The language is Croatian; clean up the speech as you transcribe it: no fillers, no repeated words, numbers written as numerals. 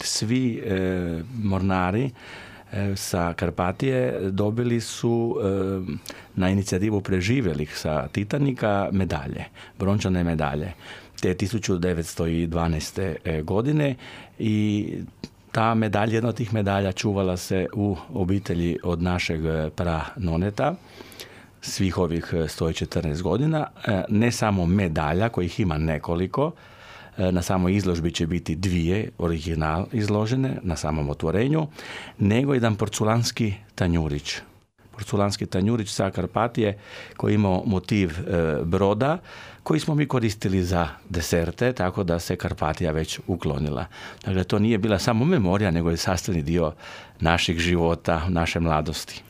svi mornari sa Karpatije dobili su na inicijativu preživjelih sa Titanika medalje, brončane medalje, te 1912. godine i ta medalja, jedna od tih medalja čuvala se u obitelji od našeg pranoneta svih ovih 114 godina. Ne samo medalja, kojih ima nekoliko, na samoj izložbi će biti 2 original izložene na samom otvorenju, nego jedan porculanski tanjurić. Porculanski tanjurić sa Karpatije koji imao motiv broda koji smo mi koristili za deserte, tako da se Karpatija već uklonila. Dakle, to nije bila samo memorija, nego je sastavni dio naših života, naše mladosti.